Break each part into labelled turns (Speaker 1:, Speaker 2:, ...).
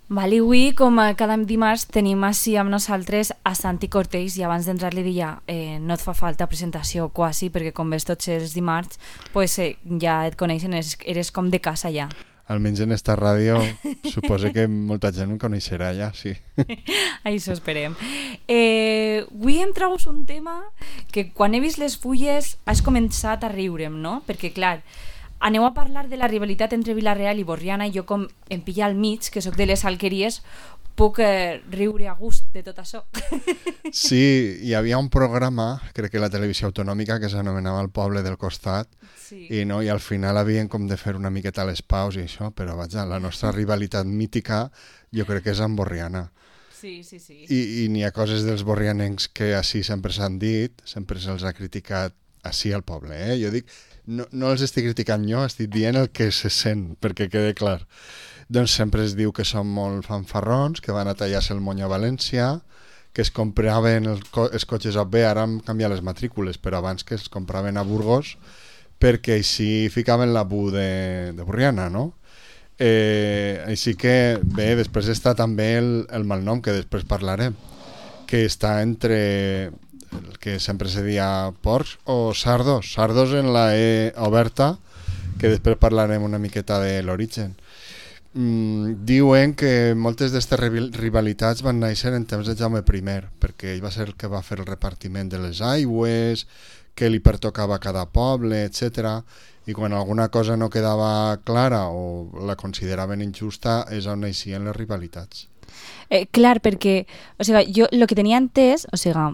Speaker 1: Vale, avui, com cada dimarts, tenim així amb nosaltres a Santi Cortells i abans d'entrar li deia no et fa falta presentació quasi perquè com ves tots els dimarts pues, ja et coneixen, eres com de casa ja.
Speaker 2: Almenys en esta ràdio suposo que molta gent em coneixerà ja, sí.
Speaker 1: Això esperem. Avui em traus un tema que quan he vist les fulles has començat a riure'm, no? Perquè clar, aneu a parlar de la rivalitat entre Vila-real i Borriana i jo com em pilla al mig, que sóc de les Alqueries, puc riure a gust de tot això.
Speaker 2: Sí, hi havia un programa, crec que la televisió autonòmica, que s'anomenava El poble del costat, sí. I al final havien com de fer una miqueta les paus i això, però vaja, la nostra rivalitat mítica jo crec que és amb Borriana.
Speaker 1: Sí, sí, sí.
Speaker 2: I n'hi ha coses dels borrianencs que així sempre s'han dit, sempre se'ls ha criticat així al poble, Jo dic, no els estic criticant jo, estic dient el que se sent, perquè quede clar. Doncs sempre es diu que són molt fanfarrons, que van a tallar-se el mony a València, que es compraven els cotxes a bé, ara han canviat les matrícules, però abans que es compraven a Burgos, perquè així ficaven la bu de Borriana, no? Així que, bé, després està també el malnom, que després parlarem, que està entre el que sempre se dia porcs o sardos. Sardos en la E oberta, que després parlarem una miqueta de l'origen. Diuen que moltes d'aquestes rivalitats van néixer en temps de Jaume I, perquè ell va ser el que va fer el repartiment de les aigües, que li pertocava a cada poble, etc. I quan alguna cosa no quedava clara o la consideraven injusta és on naixien les rivalitats.
Speaker 1: Clar, perquè o sigui, jo el que tenia entès, o sigui,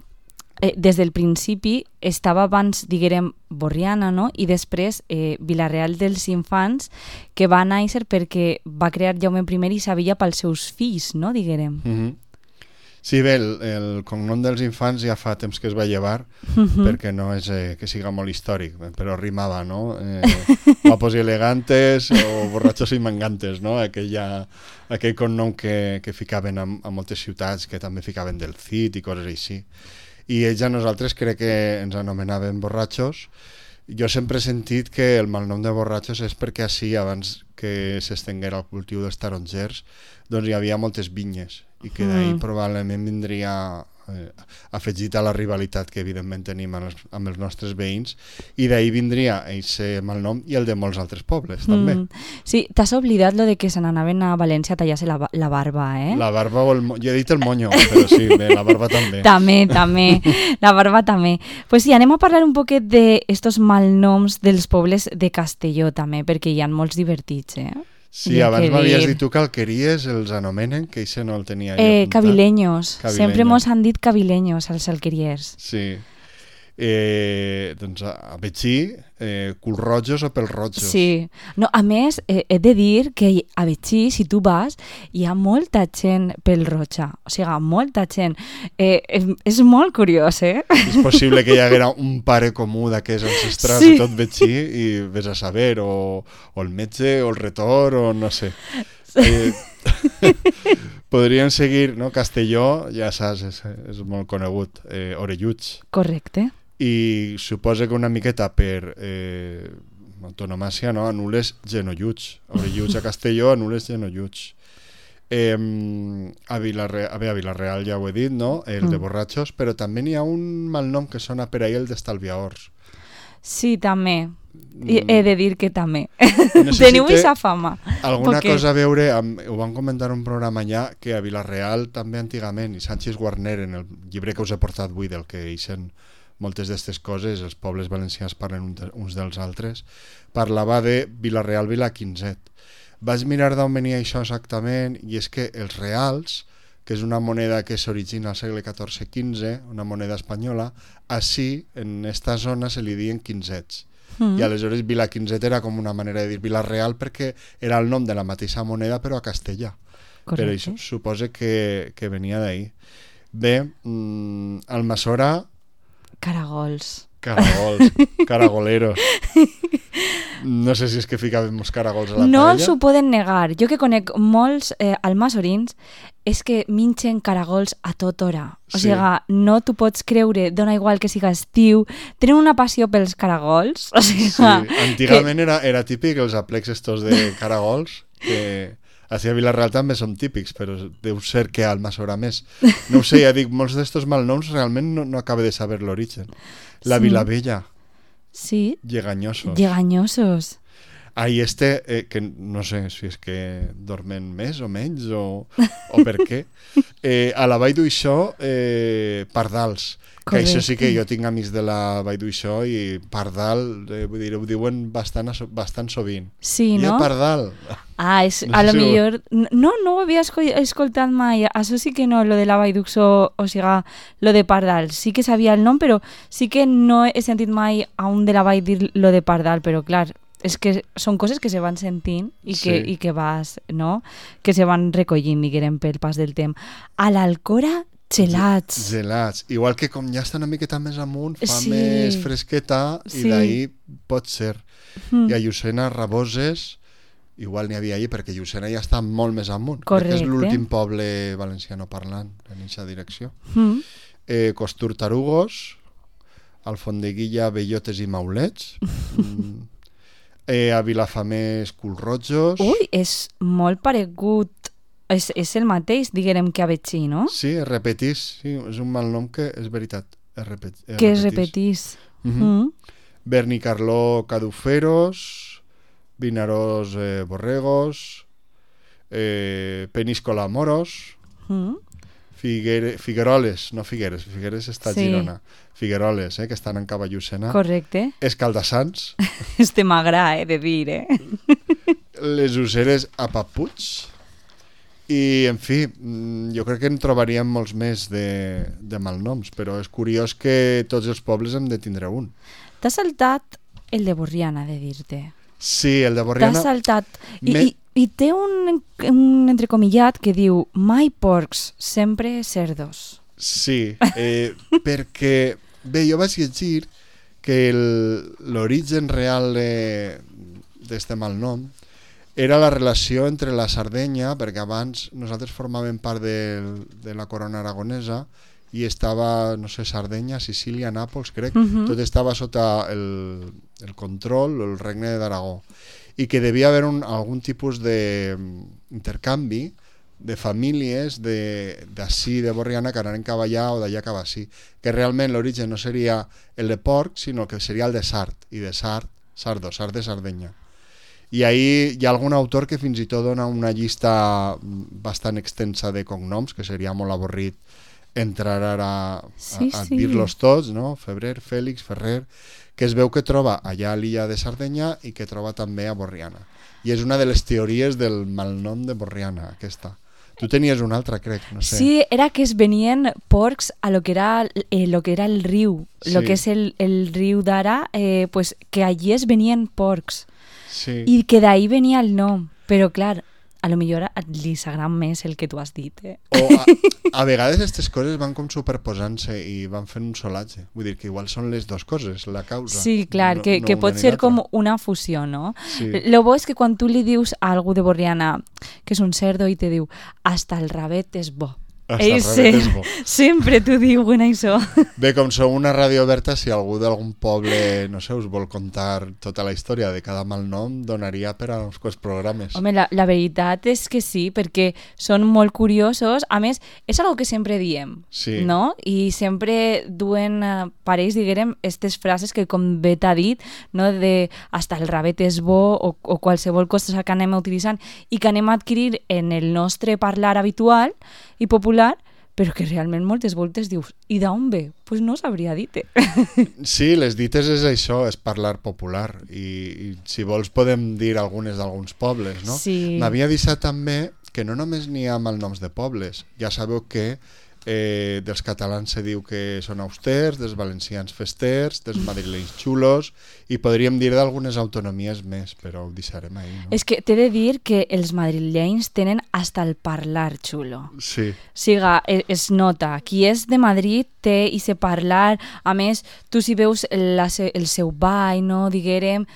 Speaker 1: des del principi estava abans, diguem, Borriana, no? I després Vila-real dels Infants, que va néixer perquè va crear Jaume I i sabia pels seus fills, no? Diguem.
Speaker 2: Sí, bé, el cognom dels Infants ja fa temps que es va llevar, perquè no és que siga molt històric, però rimava, no? Guapos i elegantes o borratxos i mangantes, no? Aquell cognom que ficaven a moltes ciutats, que també ficaven del Cid i coses així. I ells a nosaltres crec que ens anomenaven borratxos. Jo sempre he sentit que el malnom de borratxos és perquè així, abans que s'estenguera el cultiu dels tarongers, doncs hi havia moltes vinyes i que d'ahir probablement vindria afegit a la rivalitat que evidentment tenim amb els nostres veïns, i d'ahir vindria aquest malnom i el de molts altres pobles també.
Speaker 1: Sí, t'has oblidat lo de que se n'anaven a València a tallar-se la barba,
Speaker 2: La barba o jo he dit el monyo, però sí, bé, la barba també.
Speaker 1: També, la barba també. Pues sí, anem a parlar un poquet d'estos malnoms dels pobles de Castelló també, perquè hi ha molts divertits,
Speaker 2: Sí, abans m'havies dit tu que Alqueries els anomenen, que això no el tenia jo.
Speaker 1: Cavileños. Sempre mos han dit cavileños als alqueriers.
Speaker 2: Sí. Doncs a Betxí, culrojos o pelrojos.
Speaker 1: Sí. No, a més, he de dir que a Betxí, si tu vas, hi ha molta gent pelroja. O sigui, molta gent. És molt curiós,
Speaker 2: És possible que hi haguera un pare comú d'aquests ancestrals de tot Betxí i vés a saber, o el metge, o el retor, o no sé. Podrien seguir, no? Castelló, ja saps, és molt conegut. Orelluts.
Speaker 1: Correcte.
Speaker 2: I suposa que una miqueta per antonomàcia, no? Anules genolluts. Orelluts a Castelló, anules genolluts. A Vila-real ja ho he dit, no? El de borratxos, però també n'hi ha un malnom que sona per ahir, el d'estalviadors.
Speaker 1: Sí, també. He de dir que també. Teniu aquesta fama.
Speaker 2: Alguna cosa a veure, ho van comentar un programa allà, que a Vila-real també antigament, i Sánchez Guarner, en el llibre que us he portat avui, del que eixen moltes d'aquestes coses, els pobles valencians parlen uns dels altres, parlava de Vila-real, Vila-Quinzet. Vaig mirar d'on venia això exactament, i és que els reals, que és una moneda que s'origina al segle XIV-XV, una moneda espanyola, així, en aquesta zona, se li diuen quinzets. I aleshores Vila-Quinzet era com una manera de dir Vila-real perquè era el nom de la mateixa moneda però a castellà. Correcte. Però això suposa que venia d'ahir. Bé, Almassora...
Speaker 1: Caragols,
Speaker 2: caragoleros. No sé si és que ficàvem els caragols a la paella.
Speaker 1: No s'ho poden negar. Jo que conec molts almassorins és que minxen caragols a tota hora. O sigui, no t'ho pots creure, dona igual que siga estiu. Tenen una passió pels caragols. O sigui,
Speaker 2: sí, antigament era típic els aplecs estos de caragols que Així a Vila-real també són típics, però deu ser que a Almassora haurà més. No ho sé, ja dic, molts d'estos malnoms realment no acabo de saber l'origen. La
Speaker 1: Sí.
Speaker 2: Vilavella,
Speaker 1: Sí,
Speaker 2: lleganyosos.
Speaker 1: lleganyosos.
Speaker 2: Ahí que no sé si és que dormen més o menys o per què. A la Vall d'Uixó, pardals. Que això sí que jo tinc amics de la Vall d'Uixó i pardal, vull dir, ho diuen bastant sovint.
Speaker 1: Sí,
Speaker 2: I
Speaker 1: no?
Speaker 2: pardal.
Speaker 1: Ah, és,
Speaker 2: No
Speaker 1: a
Speaker 2: sé
Speaker 1: lo
Speaker 2: si ho-
Speaker 1: millor... No ho havia escoltat mai. Això sí que no, lo de la Vall d'Uixó, o sigui, lo de Pardal. Sí que sabia el nom, però sí que no he sentit mai a un de la Vall dir lo de Pardal, però clar, és que són coses que se van sentint i que vas, no? Que se van recollint, diguem, pel pas del temps. A l'Alcora, gelats.
Speaker 2: Gelats. Igual que com ja està una miqueta més amunt, fa
Speaker 1: Sí.
Speaker 2: més fresqueta i
Speaker 1: Sí.
Speaker 2: d'ahir pot ser.
Speaker 1: Mm.
Speaker 2: I a Llucena, Raboses, igual n'hi havia allí, perquè Llucena ja està molt més amunt. Crec que és
Speaker 1: Correcte.
Speaker 2: l'últim poble valenciano parlant en aquesta direcció.
Speaker 1: Mm.
Speaker 2: Costur Tarugos, Alfondeguilla, Bellotes i Maulets. A Vilafamés, Culrojos.
Speaker 1: Ui, és molt paregut. És el mateix, diguem, que a Betxí, no?
Speaker 2: Sí, es repetís. Sí, és un mal nom que és veritat.
Speaker 1: Que es repetís. Mm.
Speaker 2: Bernicarló, Caduferos, Vinaròs, Borregos, Peníscola, Moros,
Speaker 1: Mm.
Speaker 2: Figueroles, no Figueres, Figueres està a
Speaker 1: Sí.
Speaker 2: Girona. Figueroles, que estan en Cavallucena.
Speaker 1: Correcte.
Speaker 2: Escaldassans,
Speaker 1: Este m'agrada, de dir,
Speaker 2: les Useres a Papuig. I, en fi, jo crec que en trobaríem molts més de malnoms, però és curiós que tots els pobles hem de tindre un.
Speaker 1: T'has saltat el de Borriana, de dir-te.
Speaker 2: Sí, el de
Speaker 1: T'has
Speaker 2: Borriana...
Speaker 1: saltat.
Speaker 2: Me-
Speaker 1: I té un entrecomillat que diu mai porcs, sempre cerdos.
Speaker 2: Sí, perquè... Bé, jo vaig llegir que l'origen real d'este malnom era la relació entre la Sardenya, perquè abans nosaltres formàvem part de la corona aragonesa i estava, no sé, Sardenya, Sicília, Nàpols, crec, tot estava sota el control, el regne d'Aragó, i que devia haver algun tipus d'intercanvi de famílies d'ací, de Borriana, que anaren cap allà o d'allà cap ací, que realment l'origen no seria el de porc, sinó que seria el de Sard, i de Sard, Sard de Sardenya. I ahir hi ha algun autor que fins i tot dona una llista bastant extensa de cognoms, que seria molt avorrit entrar ara a dir-los tots, no? Febrer, Fèlix, Ferrer, que es veu que troba allà a l'illa de Sardenya i que troba també a Borriana. I és una de les teories del malnom de Borriana, aquesta. Tu tenies una altra, crec, no sé.
Speaker 1: Sí, era que es venien porcs a lo que era el riu,
Speaker 2: Sí.
Speaker 1: lo que és el riu d'ara, pues que allí es venien porcs.
Speaker 2: Sí.
Speaker 1: I que d'ahí venia el nom. Però, clar, a lo millor li s'agrada més el que tu has dit,
Speaker 2: O a vegades aquestes coses van com superposant-se i van fent un solatge. Vull dir que igual són les dues coses, la causa.
Speaker 1: Sí, clar, que
Speaker 2: una
Speaker 1: pot
Speaker 2: ni
Speaker 1: ser
Speaker 2: l'altra.
Speaker 1: com una fusió, no?
Speaker 2: Sí.
Speaker 1: Lo bo és que quan tu li dius a algú de Borriana que és un cerdo i te diu hasta el rabet és bo.
Speaker 2: Hasta el rabet és bo.
Speaker 1: Sempre t'ho diuen això.
Speaker 2: Bé, com sou una ràdio oberta, si algú d'algun poble, no sé, us vol contar tota la història de cada malnom, donaria per a uns quants programes.
Speaker 1: Home, la veritat és que sí, perquè són molt curiosos. A més, és algo que sempre diem,
Speaker 2: Sí.
Speaker 1: no? I sempre duen parells, diguem, aquestes frases que com bé t'ha dit, no? De hasta el rabet és bo o qualsevol cosa que anem utilitzant i que anem a adquirir en el nostre parlar habitual i popular, però que realment moltes voltes dius, i d'on ve? Pues no sabria dir-te.
Speaker 2: Sí, les dites és això, és parlar popular. I si vols podem dir algunes d'alguns pobles, no?
Speaker 1: Sí.
Speaker 2: M'havia deixat també que no només n'hi ha malnoms de pobles. Ja sabeu que dels catalans se diu que són austers, dels valencians festers, dels madrilenys xulos, i podríem dir d'algunes autonomies més, però ho deixarem ahir, no?
Speaker 1: És que t'he de dir que els madrilenys tenen hasta el parlar xulo.
Speaker 2: Sí.
Speaker 1: Siga, es nota. Qui és de Madrid té i se parlar. A més, tu si veus el seu ball, no? Diguérem,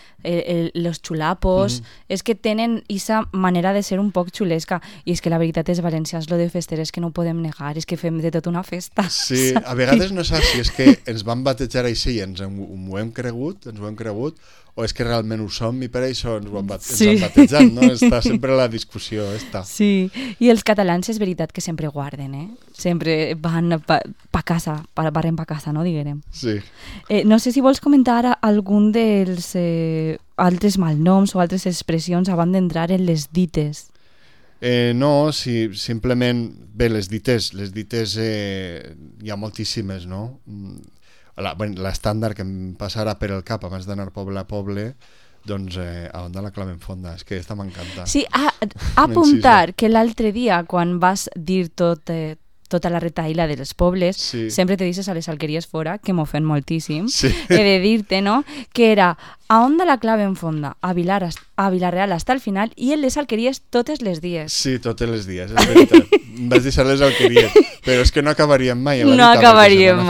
Speaker 1: los xulapos, és que tenen aquesta manera de ser un poc xulesca. I és que la veritat és, valencians, lo de fester és que no ho podem negar. És que fem fem de tot una festa.
Speaker 2: Sí, a vegades no saps si és que ens van batejar així i ens ho hem cregut, o és que realment ho som i per això ens han batejat, no? Està sempre la discussió, està.
Speaker 1: Sí, i els catalans és veritat que sempre guarden, Sempre van pa casa, barren pa casa, no, diguem.
Speaker 2: Sí.
Speaker 1: No sé si vols comentar algun dels altres malnoms o altres expressions abans d'entrar en les dites.
Speaker 2: No, sí, simplement, bé, les dites hi ha moltíssimes, no? L'estàndard que em passarà per el cap abans d'anar poble a poble, doncs a on de la clave en fonda, és que esta m'encanta.
Speaker 1: Sí, apuntar que l'altre dia quan vas dir tota la retaïla dels pobles, sempre te dices a les alqueries fora, que m'ofèn moltíssim, he de dir-te, no?, que era a on de la clave en fonda, a Vila-real hasta el final, i en les alqueries totes les dies.
Speaker 2: Sí, totes les dies, és veritat. Em vas deixar les alqueries, però és que no acabaríem mai.
Speaker 1: No acabaríem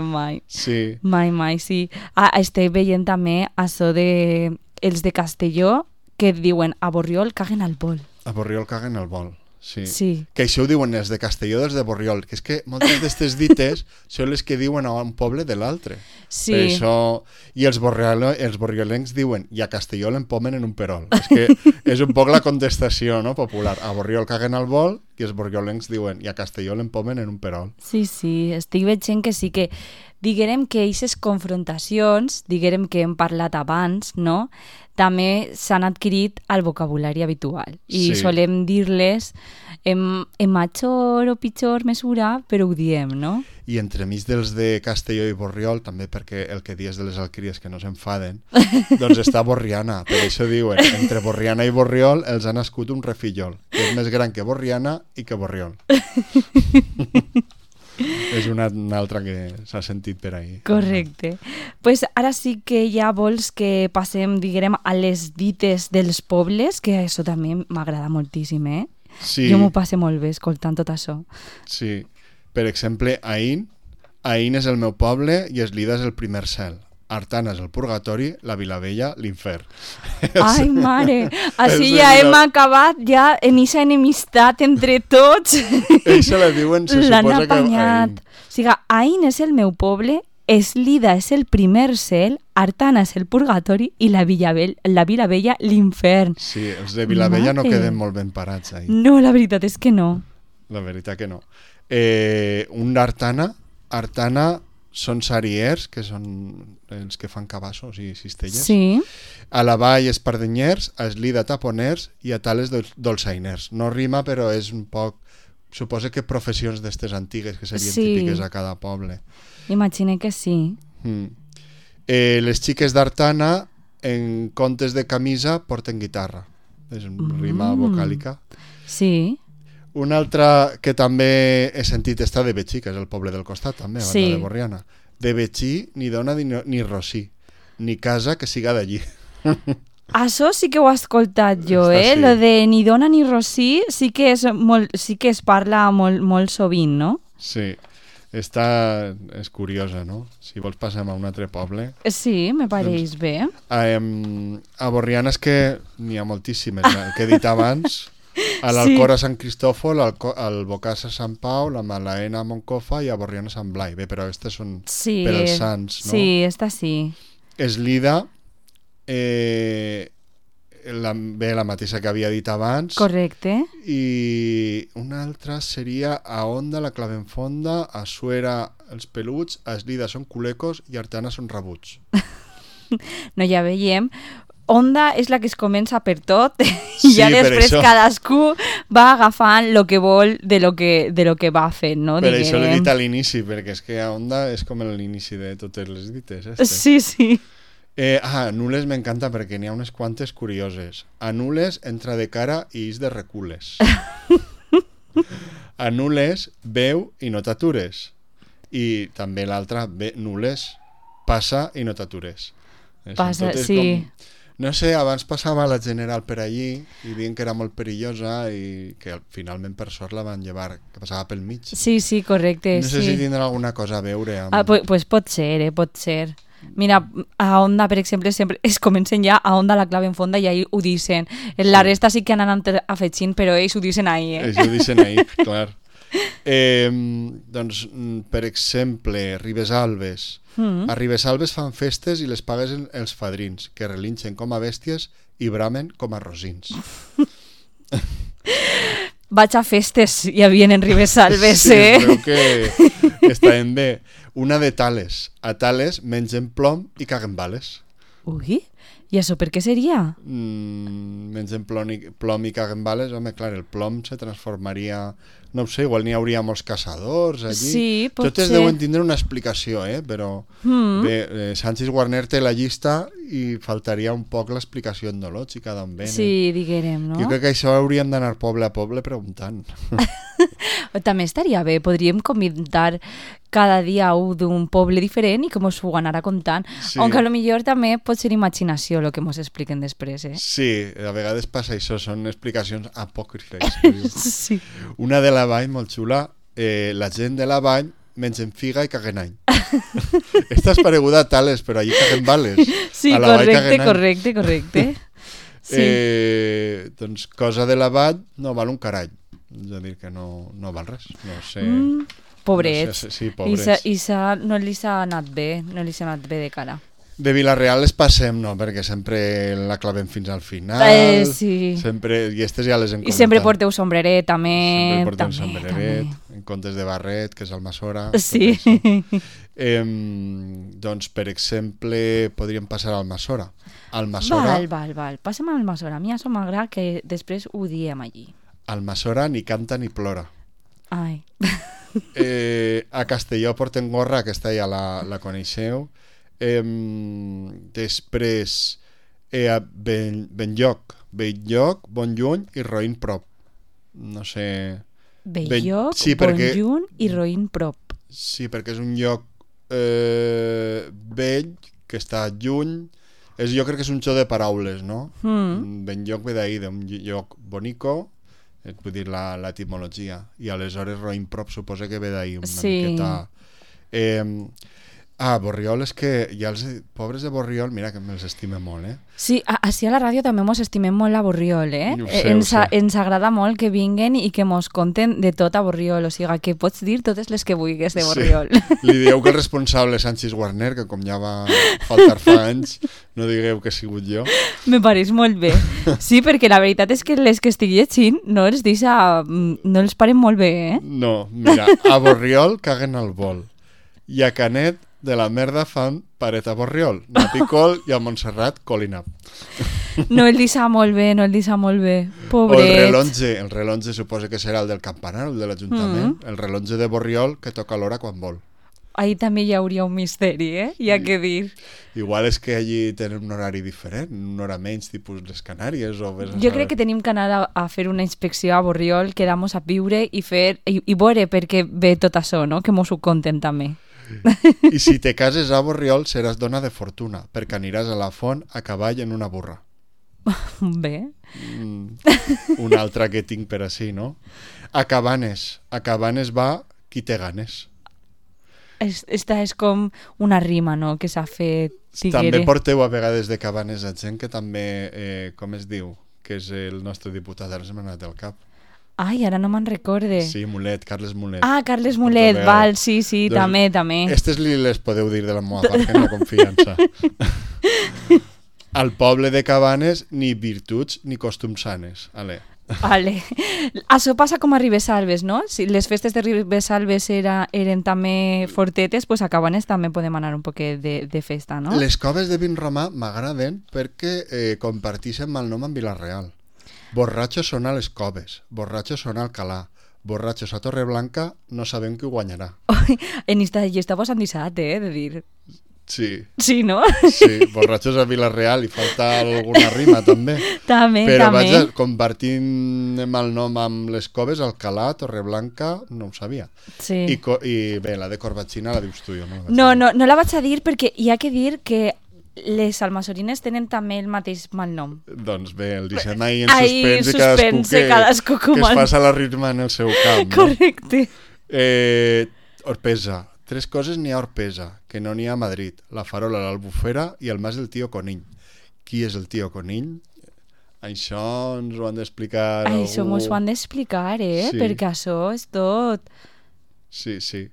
Speaker 1: mai.
Speaker 2: Sí.
Speaker 1: Mai, sí. Estic veient també això de els de Castelló que diuen a Borriol caguen al vol.
Speaker 2: A Borriol caguen al vol.
Speaker 1: Sí.
Speaker 2: Que això ho diuen els de Castelló dels de Borriol, que és que moltes d'aquestes dites són les que diuen a un poble de l'altre.
Speaker 1: Sí.
Speaker 2: Per això, i els borriolencs diuen i a Castelló l'empomen en un perol. És que és un poc la contestació, no, popular. A Borriol caguen al vol i els borriolencs diuen i a Castelló l'empomen en un perol.
Speaker 1: Sí, estic veient que sí que diguem que aquestes confrontacions, diguem que hem parlat abans, no?, també s'han adquirit al vocabulari habitual. I solem dir-les en major o pitjor mesura, però ho diem, no?
Speaker 2: I entremig dels de Castelló i Borriol, també perquè el que dies de les alqueries que no s'enfaden, doncs està Borriana. Per això diuen, entre Borriana i Borriol els ha nascut un refillol, que és més gran que Borriana i que Borriol. És una altra que s'ha sentit per ahí.
Speaker 1: Correcte. Pues ara sí que ja vols que passem, diguem, a les dites dels pobles, que això també m'agrada moltíssim,
Speaker 2: Sí.
Speaker 1: Jo m'ho passe molt bé escoltant tot això.
Speaker 2: Sí. Per exemple, Aín és el meu poble i Eslida és el primer cel. Artana és el purgatori, la Vilavella, l'infern.
Speaker 1: Ai, mare, així ja hem acabat ja en aquesta enemistat entre tots.
Speaker 2: Ells se la diuen, se suposa que Aín.
Speaker 1: O sigui, Aín és el meu poble, Eslida és el primer cel, Artana és el purgatori i la Vilavella, l'infern.
Speaker 2: Sí, els de Vilavella no queden molt ben parats ahí.
Speaker 1: No, la veritat és que no.
Speaker 2: La veritat que no. Un Artana són sariers, que són els que fan cabassos i cistelles.
Speaker 1: Sí.
Speaker 2: A la vall espardenyers, a Eslida taponers i a Tales dolçainers. No rima, però és un poc... Suposa que professions d'estes antigues que serien típiques a cada poble.
Speaker 1: Imagina que sí.
Speaker 2: Les xiques d'Artana, en comptes de camisa, porten guitarra. És una rima vocàlica.
Speaker 1: Sí.
Speaker 2: Una altra que també he sentit està de Betxí, que és el poble del costat, també, a banda de Borriana. De Betxí, ni dona ni rosí, ni casa que siga d'allí.
Speaker 1: Això sí que ho he escoltat jo,
Speaker 2: Sí.
Speaker 1: Lo de ni dona ni rosí sí que es parla molt sovint, no?
Speaker 2: Sí, és curiosa, no? Si vols passem a un altre poble.
Speaker 1: Sí, me pareix bé.
Speaker 2: A Borriana és que n'hi ha moltíssimes, el que he dit abans. A l'Alcora Sant Cristòfol, al Bocàs a Sant Pau, la Malaena a Moncofa i a Borriana a Sant Blai. Bé, però aquestes són per als sants, no?
Speaker 1: Sí, esta sí.
Speaker 2: Eslida, la mateixa que havia dit abans.
Speaker 1: Correcte.
Speaker 2: I una altra seria a Onda, la Clavenfonda, a Suera els peluts, a Eslida són culecos i a Artana són rabuts.
Speaker 1: No, ja veiem. Onda és la que es comença per tot i ja després cadascú va agafant el que vol de lo que va fent, no?
Speaker 2: Per això l'he dit a l'inici, perquè és que a Onda és com l'inici de totes les dites.
Speaker 1: Sí.
Speaker 2: A Nules m'encanta perquè n'hi ha unes quantes curioses. A Nules entra de cara i és de recules. A Nules veu i no t'atures. I també l'altra, Nules, passa i no t'atures.
Speaker 1: Passa, sí.
Speaker 2: No sé, abans passava la General per allí i diuen que era molt perillosa i que finalment per sort la van llevar, que passava pel mig.
Speaker 1: Sí, correcte.
Speaker 2: No sé si tindrà alguna cosa a veure amb...
Speaker 1: Pues pot ser, pot ser. Mira, a Onda, per exemple, sempre es comencen ja a Onda la clave en fonda i ahí ho dicen. La resta sí que han anat afegint, però ells ho dicen ahí,
Speaker 2: Ells ho dicen ahí, clar. Doncs, per exemple, Ribesalbes. A Ribesalbes fan festes i les paguen els fadrins, que relinxen com a bèsties i bramen com a rosins.
Speaker 1: Vaig a festes i havien en Ribesalbes,
Speaker 2: Sí, creu que estaven bé. Una de Tales. A Tales mengen plom i caguen bales.
Speaker 1: Ui, i això per què seria?
Speaker 2: Mengen plom i caguen bales. Home, clar, el plom se transformaria... No ho sé, igual n'hi hauria molts caçadors allí.
Speaker 1: Sí, pot
Speaker 2: Totes
Speaker 1: ser.
Speaker 2: deuen tindre una explicació, però bé, Sánchez Guarner té la llista i faltaria un poc l'explicació endològica d'on venen.
Speaker 1: Sí, diguérem, no?
Speaker 2: Jo crec que això hauríem d'anar poble a poble preguntant.
Speaker 1: També estaria bé, podríem convidar cada dia un d'un poble diferent i que mos ho anara contant.
Speaker 2: Sí.
Speaker 1: Aunque a lo millor també pot ser imaginació el que mos expliquen després, eh?
Speaker 2: Sí, a vegades passa això, són explicacions apòcrifes.
Speaker 1: Sí.
Speaker 2: Una de la Vall, molt xula, la gent de la Vall mengen figa i caguen any. Esta és pareguda a Tales, però allí caguen bales.
Speaker 1: Sí,
Speaker 2: A la Vall caguen any.
Speaker 1: correcte. Sí.
Speaker 2: Doncs cosa de la Vall no val un carall. És a dir, que no val res. No sé.
Speaker 1: Pobrets.
Speaker 2: No sé, sí, pobrets.
Speaker 1: No li s'ha anat bé, de cara.
Speaker 2: De Vila-real les passem, no, perquè sempre la clavem fins al final.
Speaker 1: Sí.
Speaker 2: Sempre, i aquestes ja les hem
Speaker 1: I
Speaker 2: comentat.
Speaker 1: sempre porteu sombreret, també.
Speaker 2: Sempre portem
Speaker 1: també,
Speaker 2: sombreret,
Speaker 1: també.
Speaker 2: en comptes de barret, que és Almassora.
Speaker 1: Sí.
Speaker 2: Doncs, per exemple, podríem passar a Almassora. Almassora,
Speaker 1: Val. Passem a Almassora. A mi això m'agrada que després ho diem allí.
Speaker 2: Almassora ni canta ni plora.
Speaker 1: Ai.
Speaker 2: A Castelló porten gorra, aquesta ja la coneixeu. Després a Benlloc, Bon Lluny i Roïn Prop. No sé...
Speaker 1: Belloc,
Speaker 2: sí, perquè-
Speaker 1: Bonjunt i Roïn Prop.
Speaker 2: Sí, perquè és un lloc vell, que està lluny. Jo crec que és un joc de paraules, no? Benlloc ve d'ahir, d'un lloc bonico, vull dir l'etimologia. I aleshores Roïn Prop suposa que ve d'ahir una miqueta... Borriol, és que ja els pobres de Borriol, mira que me'ls estime molt,
Speaker 1: Sí, així a la ràdio també mos estimem molt a Borriol,
Speaker 2: Ho sé, ho sé.
Speaker 1: Ens agrada molt que vinguen i que mos conten de tot a Borriol, o sigui, que pots dir totes les que vulguis de Borriol.
Speaker 2: Sí. Li dieu que el responsable és Sánchez Guarner, que com ja va faltar fa anys, no digueu que he sigut jo.
Speaker 1: Me pareix molt bé. Sí, perquè la veritat és que les que estic llegint no els paren molt bé,
Speaker 2: No, mira, a Borriol caguen al vol. I a Canet de la merda fan paret a Borriol. Nap i col i a Montserrat col i nap.
Speaker 1: No el deixa molt bé.
Speaker 2: O
Speaker 1: Pobret.
Speaker 2: el rellotge suposa que serà el del campanar, el de l'Ajuntament. El rellotge de Borriol que toca l'hora quan vol.
Speaker 1: Ahí també hi hauria un misteri, hi ha que dir.
Speaker 2: Igual és que allí tenen un horari diferent, una hora menys, tipus les Canàries.
Speaker 1: Jo crec que tenim que anar a fer una inspecció a Borriol, quedar-nos a viure i veure per què ve tot això, no? Que mos ho conten també.
Speaker 2: I si te cases a Borriol seràs dona de fortuna, perquè aniràs a la font a cavall en una burra.
Speaker 1: Bé.
Speaker 2: Una altra que tinc per així, no? A Cabanes va qui té ganes.
Speaker 1: Esta és com una rima, no?, que s'ha fet.
Speaker 2: També porteu a vegades de Cabanes a gent que també, com es diu, que és el nostre diputat, ara se m'ha anat del cap.
Speaker 1: Ai, ara no me'n recorde.
Speaker 2: Sí, Mulet, Carles Mulet.
Speaker 1: Ah, Carles Mulet, val, sí, doncs, també.
Speaker 2: Aquestes les podeu dir de la meva part, que no confiança. Al poble de Cabanes, ni virtuts ni costums sanes.
Speaker 1: Vale. Això passa com a Ribesalbes, no? Si les festes de Ribesalbes eren també fortetes, pues a Cabanes també podem anar un poquet de festa, no?
Speaker 2: Les coves de Vinromà m'agraden perquè comparteixen mal nom amb Vila-real. Borratxos són a les coves, borratxos són a Alcalà, borratxos a Torreblanca, no sabem qui guanyarà.
Speaker 1: En esta llista vos han deixat, de dir...
Speaker 2: Sí.
Speaker 1: Sí, no?
Speaker 2: Sí, borratxos a Vila-real, i falta alguna rima també.
Speaker 1: També.
Speaker 2: Però vaja, compartint mal nom amb les coves, Alcalà, Torreblanca, no ho sabia.
Speaker 1: Sí.
Speaker 2: I bé, la de Corbatxina la dius tu, jo no.
Speaker 1: No la vaig a dir perquè hi ha que dir que les almassorines tenen també el mateix mal nom.
Speaker 2: Doncs bé, el deixem ahí en suspens i
Speaker 1: cadascú
Speaker 2: que es passa la ritme en el seu camp. No?
Speaker 1: Correcte.
Speaker 2: Orpesa. 3 coses n'hi ha a Orpesa, que no n'hi ha a Madrid. La Farola, l'Albufera i el mas del tio Conill. Qui és el tio Conill? Això ens ho han d'explicar
Speaker 1: Això
Speaker 2: algú.
Speaker 1: mos ho han d'explicar,
Speaker 2: Sí.
Speaker 1: perquè això és tot.
Speaker 2: Sí, sí.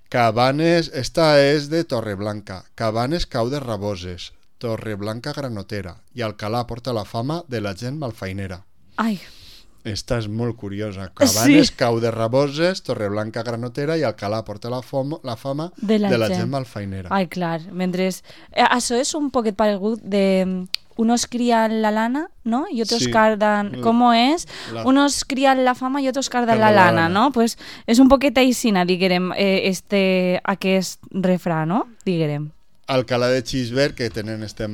Speaker 2: Cabanes, esta és de Torreblanca. Cabanes cau de Raboses, Torreblanca granotera i Alcalà porta la fama de la gent malfainera.
Speaker 1: Ai,
Speaker 2: Esta és molt curiosa. Cabanes
Speaker 1: Sí.
Speaker 2: cau de Raboses, Torreblanca granotera i Alcalà porta la fama
Speaker 1: De la
Speaker 2: gent
Speaker 1: gent.
Speaker 2: malfainera.
Speaker 1: ai, clar, mentre... això és un poquet paregut de... Unos crían la lana, ¿no? Y otros
Speaker 2: Sí.
Speaker 1: cardan... ¿Cómo es?
Speaker 2: La-
Speaker 1: Unos crían la fama y otros cardan la
Speaker 2: Cardan la
Speaker 1: lana,
Speaker 2: lana.
Speaker 1: no? Pues és un poquet aixina, diguem, aquest refrà, no? Diguem.
Speaker 2: Alcalà de Xisbert, que tenen este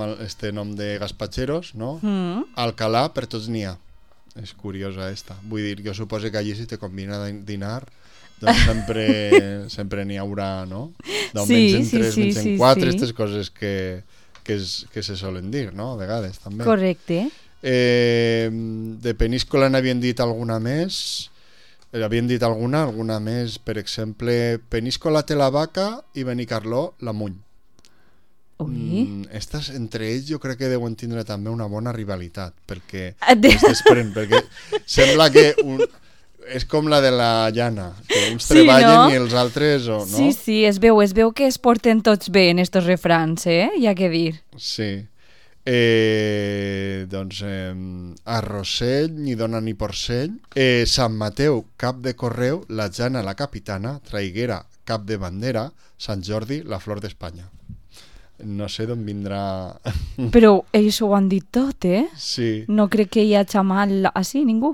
Speaker 2: nom de gaspatxeros, no? Alcalà per tots n'hi ha. És curiosa esta. Vull dir, jo suposo que allí si te convina dinar, doncs sempre n'hi haurà, no? D'on
Speaker 1: Sí,
Speaker 2: mengen
Speaker 1: sí,
Speaker 2: 3,
Speaker 1: sí,
Speaker 2: mengen
Speaker 1: sí,
Speaker 2: 4,
Speaker 1: sí.
Speaker 2: aquestes coses que se solen dir, no? A vegades, també.
Speaker 1: Correcte.
Speaker 2: De Peníscola n'havien dit alguna més. Havien dit alguna més. Per exemple, Peníscola té la vaca i Benicarló la muny.
Speaker 1: Ui.
Speaker 2: Estas, entre ells, jo crec que deuen tindre també una bona rivalitat, perquè
Speaker 1: De-
Speaker 2: es desprèn, perquè sembla que és com la de la llana, que uns
Speaker 1: Sí,
Speaker 2: treballen
Speaker 1: no?
Speaker 2: i els altres, no?
Speaker 1: Sí, sí, es veu que es porten tots bé en estos refrans, hi ha que dir.
Speaker 2: Sí. Doncs a Rossell, ni dona ni porcell. Sant Mateu, cap de correu. La Jana, la capitana. Traiguera, cap de bandera. Sant Jordi, la flor d'Espanya. No sé d'on vindrà...
Speaker 1: Però ells ho han dit tot,
Speaker 2: Sí.
Speaker 1: No crec que hi hagi mal així, ningú.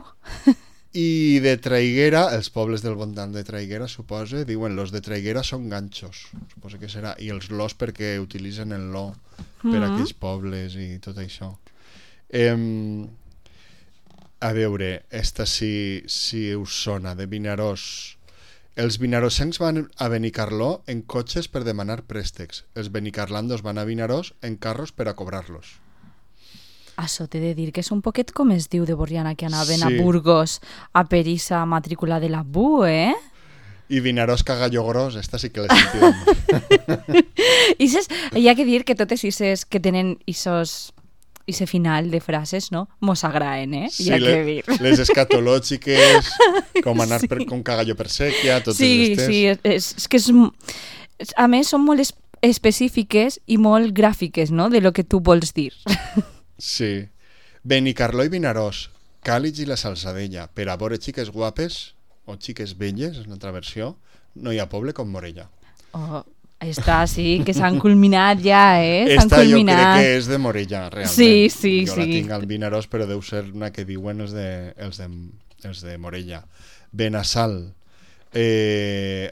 Speaker 2: I de Traiguera, els pobles del voltant de Traiguera, suposa, diuen los de Traiguera són ganxos. Suposa que serà. I els los perquè utilitzen el lo per aquells pobles i tot això. A veure, esta si us sona, de Vinaròs. Els vinarosencs van a Benicarló en cotxes per demanar préstecs. Els benicarlandos van a Vinaròs en carros per a cobrar-los.
Speaker 1: Això t'he de dir que és un poquet com es diu de Borriana, que anaven a
Speaker 2: Sí.
Speaker 1: Burgos a perissa matrícula de la BU,
Speaker 2: I Vinaròs cagallo gros, esta sí que l'he sentit molt.
Speaker 1: Hi ha que dir que totes ises que tenen ese final de frases, no? Mos agraen, hi ha que dir.
Speaker 2: Les escatològiques, com anar com cagallo per sèquia, totes
Speaker 1: Sí,
Speaker 2: estes.
Speaker 1: sí, és que a més són molt específiques i molt gràfiques, no?, de lo que tu vols dir.
Speaker 2: Sí. Benicarló i Vinaròs, Càlig i la Salzadella. Per a veure xiques guapes o xiques belles, és una altra versió, no hi ha poble com Morella.
Speaker 1: Oh, està, sí, que s'han culminat ja, S'han
Speaker 2: Esta jo
Speaker 1: culminat.
Speaker 2: crec que és de Morella, realment.
Speaker 1: Sí, sí,
Speaker 2: jo la
Speaker 1: sí.
Speaker 2: tinc al Vinaròs, però deu ser una que diuen els de Morella. Benassal.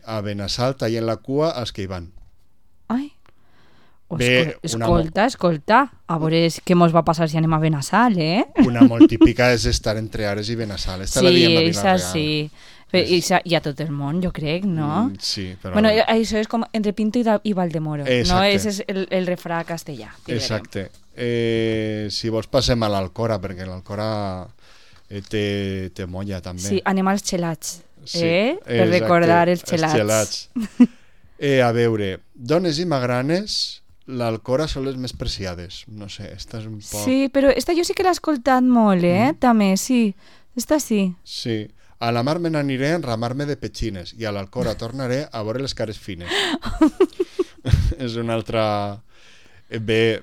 Speaker 2: A Benassal tallen la cua als que hi van.
Speaker 1: Ai.
Speaker 2: Bé,
Speaker 1: Escolta. A veure què mos va passar si anem a Benassal,
Speaker 2: Una molt típica és estar entre Ares i Benassal. Esta la
Speaker 1: Sí,
Speaker 2: diem a
Speaker 1: això
Speaker 2: Vila-real.
Speaker 1: sí. I a tot el món, jo crec, no?
Speaker 2: Sí, però...
Speaker 1: Bueno, això és com entre Pinto i Valdemoro, no?
Speaker 2: Exacte.
Speaker 1: Ese és el refrà castellà. diguem.
Speaker 2: Exacte. Si vols passem a l'Alcora, perquè l'Alcora té molla també.
Speaker 1: Sí, anem als xelats,
Speaker 2: Sí,
Speaker 1: per
Speaker 2: exacte,
Speaker 1: recordar els xelats.
Speaker 2: A veure, dones i magranes, l'Alcora són les més preciades. No sé, esta és un poc...
Speaker 1: Sí, però esta jo sí que l'he escoltat molt, també, sí. Esta sí.
Speaker 2: Sí. A la mar me n'aniré a enramar-me de petxines i a l'Alcora tornaré a veure les cares fines. És una altra... Bé,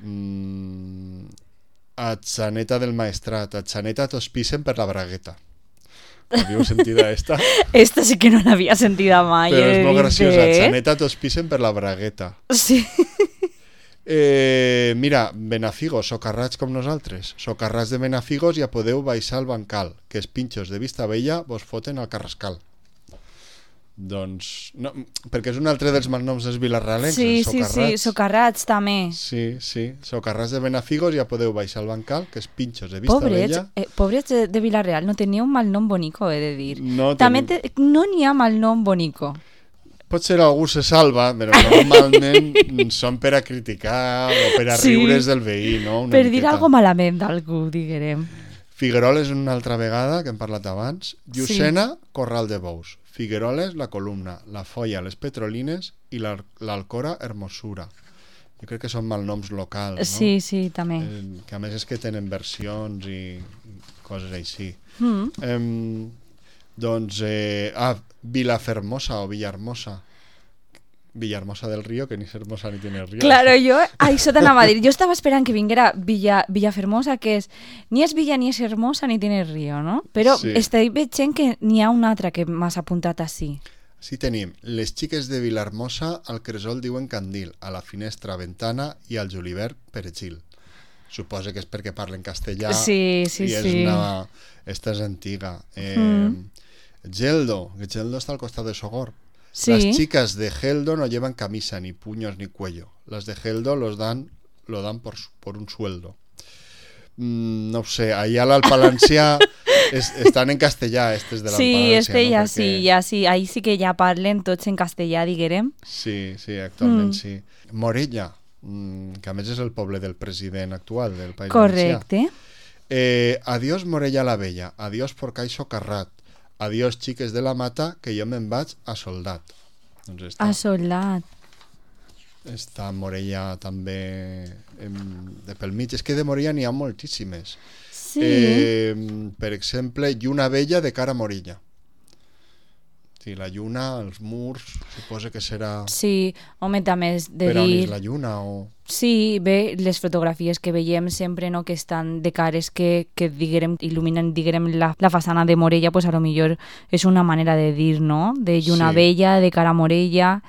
Speaker 2: a Xaneta del Maestrat. A Xaneta tos pisen per la bragueta. Havíeu sentit esta?
Speaker 1: Esta sí que no l'havia sentida mai.
Speaker 2: Però és
Speaker 1: he de
Speaker 2: molt
Speaker 1: dir,
Speaker 2: graciosa. A Xaneta tos pisen per la bragueta.
Speaker 1: Sí.
Speaker 2: Mira, Benafigos, socarrats com nosaltres. Socarrats de Benafigos, ja podeu baixar al bancal, que els pinxos de Vista Vella vos foten al Carrascal. Doncs, no, perquè és un altre dels malnoms dels vilarrealencs,
Speaker 1: Sí,
Speaker 2: els
Speaker 1: sí,
Speaker 2: socarrats.
Speaker 1: sí, socarrats també.
Speaker 2: Sí, socarrats de Benafigos, ja podeu baixar al bancal, que els pinxos de Vista
Speaker 1: Pobrets,
Speaker 2: Vella...
Speaker 1: pobrets de Vilareal, no tenia un mal nom bonico, he de dir.
Speaker 2: No
Speaker 1: També
Speaker 2: tenim-
Speaker 1: no n'hi ha mal nom bonico.
Speaker 2: Potser algú se salva, però normalment són per a criticar o per a
Speaker 1: Sí.
Speaker 2: riure's del veí, no? Una
Speaker 1: Per dir
Speaker 2: miqueta.
Speaker 1: algo malament d'algú, diguem.
Speaker 2: Figueroles una altra vegada, que hem parlat abans. Llucena, Corral de Bous. Figueroles, la Columna. La Folla, les Petrolines. I l'Alcora, Hermosura. Jo crec que són malnoms locals, no?
Speaker 1: Sí, sí, també.
Speaker 2: Que a més és que tenen versions i coses així. Doncs, Vilafermosa o Villahermosa. Villahermosa del Río, que ni és hermosa ni tiene río.
Speaker 1: Claro, jo això t'anava a dir. Jo estava esperant que vinguera Villafermosa, que és ni és villa ni és hermosa ni tiene río, no? Però
Speaker 2: Sí.
Speaker 1: estic veient que n'hi ha una altra que m'has apuntat així.
Speaker 2: Sí tenim. Les xiques de Vilahermosa al cresol diuen candil, a la finestra ventana i al julivert perejil. Suposa que és perquè parlen castellà
Speaker 1: Sí,
Speaker 2: i és una... Esta és antiga. Geldo, que Geldo está al costado de Sogor.
Speaker 1: Sí.
Speaker 2: Las chicas de Geldo no llevan camisa, ni puños, ni cuello. Las de Geldo lo dan por un sueldo. No sé, allà al Palencià estan en castellà, estes de l'Alpalencià.
Speaker 1: Sí,
Speaker 2: no?
Speaker 1: ja sí. Ahí sí que ja parlen tots en castellà, diguem.
Speaker 2: Sí, actualment sí. Morella, que a més és el poble del president actual del País Valencià.
Speaker 1: Correcte.
Speaker 2: Adiós Morella la Vella, adiós Porcaixo Carrat, adiós xiques de la Mata, que jo me'n vaig a Soldat. Doncs
Speaker 1: A Soldat.
Speaker 2: està Morella també de pel mig. És que de Morella n'hi ha moltíssimes.
Speaker 1: Sí.
Speaker 2: Per exemple, lluna vella de cara a Morella. Sí, la lluna, els murs, suposa que serà
Speaker 1: Sí, home, també és de
Speaker 2: per on
Speaker 1: dir...
Speaker 2: és la lluna o...
Speaker 1: Sí, bé, les fotografies que veiem sempre, no?, que estan de cares que diguem, il·luminen, diguem, la façana de Morella, pues a lo millor és una manera de dir, no?, de lluna
Speaker 2: Sí.
Speaker 1: vella, de cara a Morella,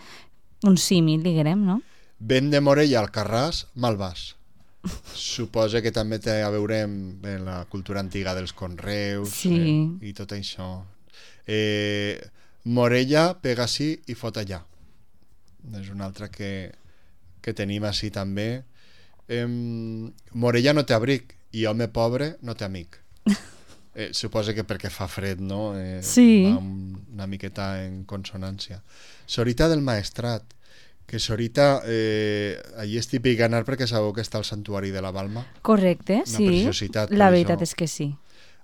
Speaker 1: un símil, diguem, no?
Speaker 2: Vent de Morella al Carràs, mal vas. Suposa que també té a veure amb la cultura antiga dels conreus
Speaker 1: Sí.
Speaker 2: I tot això. Morella, pega sí i fot allà. És una altra que tenim així també. Morella no té abric i home pobre no té amic. Suposa que perquè fa fred, no?
Speaker 1: Sí.
Speaker 2: Va una miqueta en consonància. Sorita del Maestrat, que Sorita, allí és típic anar perquè sabeu que està al santuari de la Balma.
Speaker 1: Correcte,
Speaker 2: Una
Speaker 1: sí.
Speaker 2: preciositat,
Speaker 1: La
Speaker 2: per
Speaker 1: veritat
Speaker 2: això.
Speaker 1: és que sí.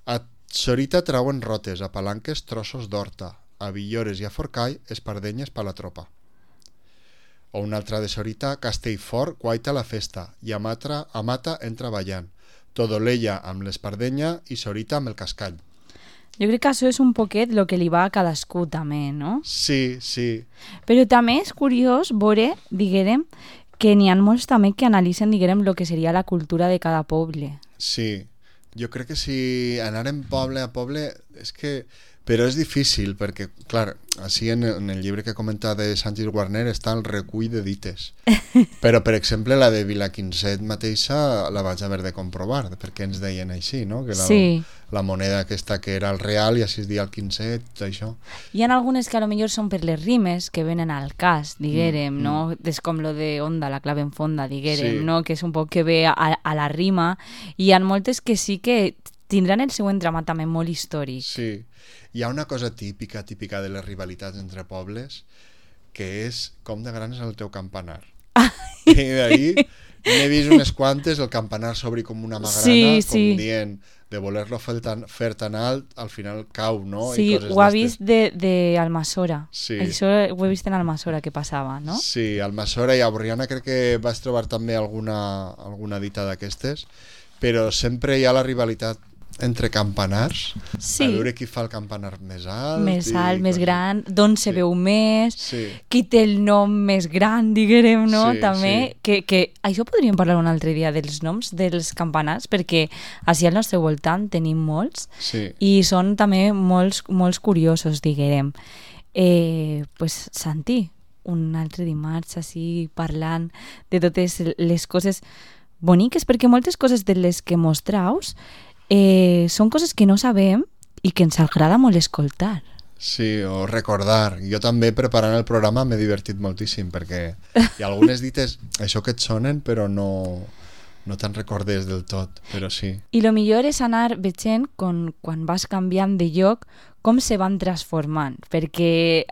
Speaker 2: A Sorita trauen rotes, a Palanques trossos d'horta, a Villores i a Forcall espardenyes per la tropa. O una altra de Sorita, Castellfort guaita la festa i a Mata entra ballant. Todolella amb l'espardenya i Sorita amb el cascall.
Speaker 1: Jo crec que això és un poquet el que li va a cadascú també, no?
Speaker 2: Sí, sí.
Speaker 1: Però també és curiós veure, diguem, que n'hi ha molts també que analitzen, diguem, el que seria la cultura de cada poble.
Speaker 2: Sí, jo crec que si anàrem poble a poble és que... Però és difícil perquè, clar, així en el llibre que comenta de Sánchez Warner està el recull de dites. Però, per exemple, la de Vilaquinset mateixa la vaig haver de comprovar, perquè ens deien així, no? Que
Speaker 1: Sí.
Speaker 2: la moneda aquesta que era el real i així es dia el quinzet, tot això.
Speaker 1: Hi ha algunes que a lo millor són per les rimes que venen al cas, diguem, no? És com lo de onda, la clave en fonda, diguem,
Speaker 2: Sí.
Speaker 1: no? Que és un poc que ve a la rima. I hi ha moltes que sí que tindran el seu entramat també molt històric.
Speaker 2: Sí. Hi ha una cosa típica de les rivalitats entre pobles, que és com de gran és el teu campanar. I d'ahir n'he vist unes quantes, el campanar s'obri com una magrana,
Speaker 1: Sí,
Speaker 2: com
Speaker 1: sí.
Speaker 2: dient de voler-lo fer tan alt, al final cau, no?
Speaker 1: Sí,
Speaker 2: I coses
Speaker 1: ho ha
Speaker 2: d'estes.
Speaker 1: vist de Almassora.
Speaker 2: Sí.
Speaker 1: Això ho he vist en Almassora que passava, no?
Speaker 2: Sí, al Almassora i a Borriana crec que vas trobar també alguna dita d'aquestes, però sempre hi ha la rivalitat entre campanars,
Speaker 1: Sí.
Speaker 2: a veure qui fa el campanar més alt.
Speaker 1: Més
Speaker 2: i
Speaker 1: alt, més
Speaker 2: coses.
Speaker 1: gran, d'on se
Speaker 2: Sí.
Speaker 1: veu més,
Speaker 2: Sí.
Speaker 1: qui té el nom més gran, diguem, no?
Speaker 2: Sí,
Speaker 1: També, que això podríem parlar un altre dia dels noms dels campanars, perquè així al nostre voltant tenim molts
Speaker 2: Sí.
Speaker 1: i són també molts curiosos, diguem. Pues, Santi, un altre dimarts així parlant de totes les coses boniques, perquè moltes coses de les que mostraus són coses que no sabem i que ens agrada molt escoltar.
Speaker 2: Sí, o recordar. Jo també preparant el programa m'he divertit moltíssim perquè hi ha algunes dites, això que et sonen, però no te'n recordes del tot, però sí.
Speaker 1: I lo millor és anar veient quan vas canviant de lloc com se van transformant, perquè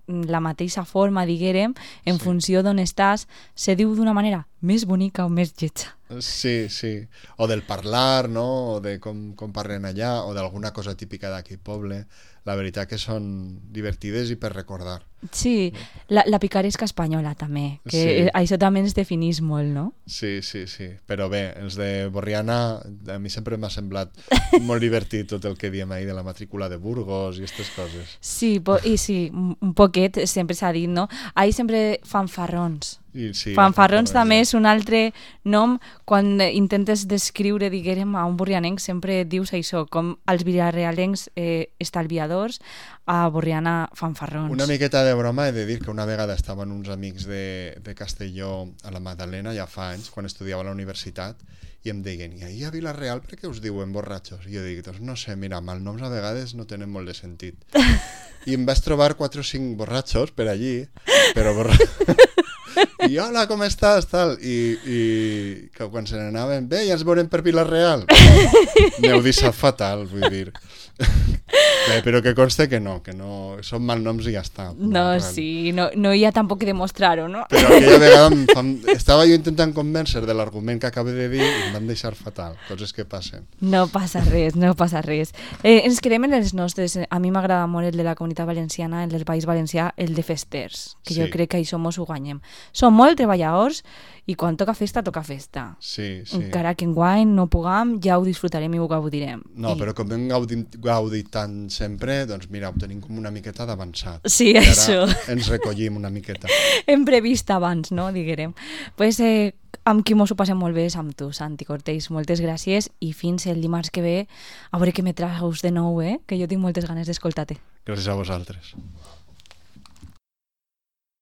Speaker 1: la mateixa forma, diguem, en funció d'on estàs, se diu d'una manera més bonica o més lletja.
Speaker 2: Sí, sí. O del parlar, no? O de com parlen allà, o d'alguna cosa típica d'aquell poble. La veritat que són divertides i per recordar.
Speaker 1: Sí, la picaresca espanyola també, que
Speaker 2: Sí.
Speaker 1: això també ens definís molt, no?
Speaker 2: Sí, sí, sí. Però bé, els de Borriana a mi sempre m'ha semblat molt divertit tot el que diem ahir de la matrícula de Burgos i aquestes coses.
Speaker 1: Sí, i sí, un poquet sempre s'ha dit, no? Ahir sempre fanfarrons.
Speaker 2: I sí,
Speaker 1: Fanfarrons també és un altre nom quan intentes descriure, diguérem, a un borrianenc, sempre dius això, com els vilarealencs estalviadors, a Borriana fanfarrons.
Speaker 2: Una miqueta de broma he de dir que una vegada estaven uns amics de Castelló a la Magdalena ja fa anys, quan estudiava a la universitat, i em deien, i ahir a Vila-real per què us diuen borratxos? I jo dic, doncs no sé, mira, malnoms a vegades no tenen molt de sentit. I em vaig trobar 4 o 5 borratxos per allí, però i hola, com estàs? Tal. I que quan se n'anaven, bé, ja ens veurem per Vila-real. M'heu deixat fatal, vull dir. Bé, però que conste que no són malnoms i ja està.
Speaker 1: No, sí, no hi ha tampoc que demostrar-ho, no?
Speaker 2: Però aquella vegada estava jo intentant convèncer de l'argument que acabo de dir i em van deixar fatal, coses que passen.
Speaker 1: No passa res, no passa res. Ens quedem en els nostres. A mi m'agrada molt el de la Comunitat Valenciana, el del País Valencià, el de festers, que
Speaker 2: Sí.
Speaker 1: jo crec que això mos ho guanyem. Som molt treballadors i quan toca festa, toca festa.
Speaker 2: Sí, sí.
Speaker 1: Encara que enguany no puguem, ja ho disfrutarem i ho gaudirem.
Speaker 2: No, però com hem gaudit tant sempre, doncs mira, ho tenim com una miqueta d'avançat.
Speaker 1: Sí,
Speaker 2: I ara
Speaker 1: això.
Speaker 2: ens recollim una miqueta.
Speaker 1: Hem previst abans, no? Diguérem. Pues, amb qui mos ho passem molt bé és amb tu, Santi Cortells. Moltes gràcies i fins el dimarts que ve a veure què me traus de nou, que jo tinc moltes ganes d'escoltar-te.
Speaker 2: Gràcies a vosaltres.